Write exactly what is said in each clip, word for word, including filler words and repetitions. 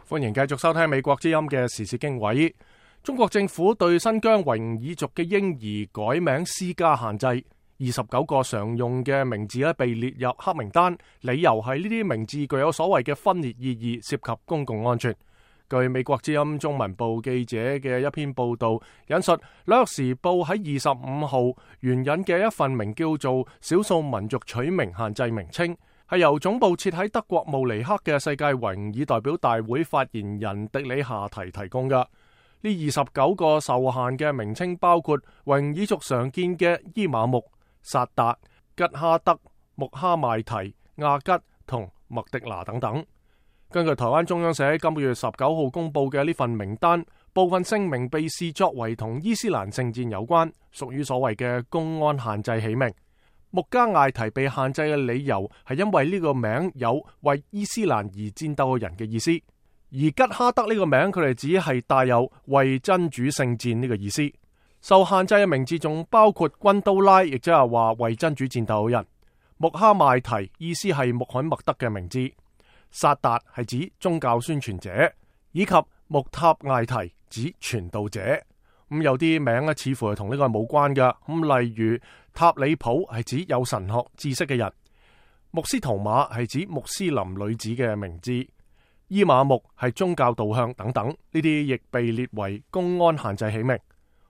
歡迎繼續收聽美國之音嘅時事經緯。中國政府對新疆維吾爾族嘅嬰兒改名施加限制，二十九個常用嘅名字咧被列入黑名單，理由係呢啲名字具有所謂嘅分裂意義，涉及公共安全。據美國之音中文部記者嘅一篇報道引述，《紐約時報》喺二十五號援引嘅一份名叫做《少數民族取名限制名稱》，係由總部設喺德國慕尼黑嘅世界維吾爾代表大會發言人迪里夏提提供嘅。呢二十九個受限嘅名稱包括維吾爾族常見嘅伊瑪目、薩達、吉哈德、穆哈邁提、亞吉同麥迪拿等等。根據台灣中央社今個月十九號公布嘅呢份名單，部分姓名被視作為同伊斯蘭聖戰有關，屬於所謂嘅公安限制起名。穆加艾提被限制嘅理由係因為呢個名有為伊斯蘭而戰鬥嘅人嘅意思，而吉哈德呢個名佢哋只係帶有為真主聖戰呢個意思。受限制嘅名字仲包括軍刀拉，亦即係話為真主戰鬥嘅人；穆哈邁提意思係穆罕默德嘅名字；薩達係指宗教宣傳者，以及穆塔艾提指傳道者。咁有啲名咧似乎係同呢個冇關嘅，咁例如塔里普係指有神學知識嘅人，穆斯圖馬係指穆斯林女子嘅名字，伊瑪目係宗教導向等等，呢啲亦被列為公安限制起名。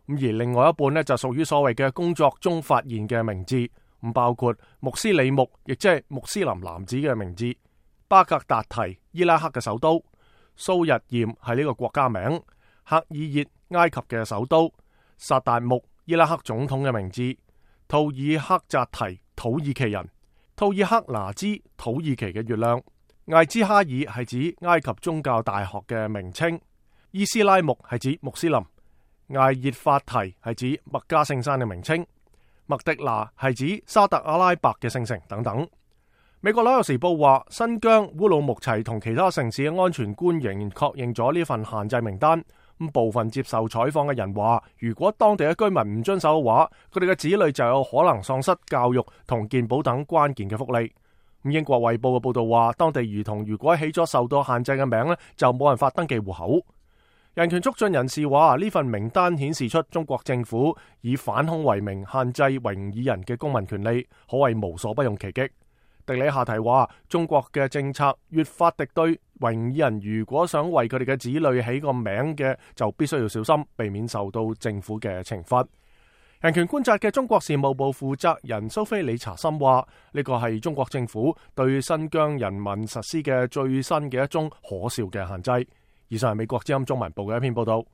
咁而另外一半呢，就屬於所謂嘅工作中發現嘅名字，咁包括穆斯里木，亦即係穆斯林男子嘅名字，巴格達提伊拉克嘅首都，蘇日驗係呢個國家名，赫爾熱埃及嘅首都，薩達木伊拉克總統嘅名字，圖爾克扎提土耳其人，圖爾克拿茲土耳其嘅月亮，艾茲哈爾係指埃及宗教大學嘅名稱，伊斯拉木係指穆斯林，艾熱法提係指麥加聖山嘅名稱，麥迪拿係指沙特阿拉伯嘅聖城等等。美國紐約時報話，新疆烏魯木齊同其他城市嘅安全官員確認咗呢份限制名單。咁部分接受採訪嘅人話，如果當地嘅居民唔遵守嘅話，佢哋嘅子女就有可能喪失教育同健保等關鍵嘅福利。咁英國衛報嘅報道話，當地兒童如果起咗受到限制嘅名咧，就冇辦法登記戶口。人權促進人士話，呢份名單顯示出中國政府以反恐為名限制維吾爾人嘅公民權利，可謂無所不用其極。迪里夏提話，中國嘅政策越發敵對維吾爾人，如果想為佢哋嘅子女起個名嘅，就必須要小心，避免受到政府嘅懲罰。人權觀察嘅中國事務部負責人蘇菲理查森話，呢個係中國政府對新疆人民實施嘅最新嘅一宗可笑嘅限制。以上係美國之音中文部嘅一篇報道。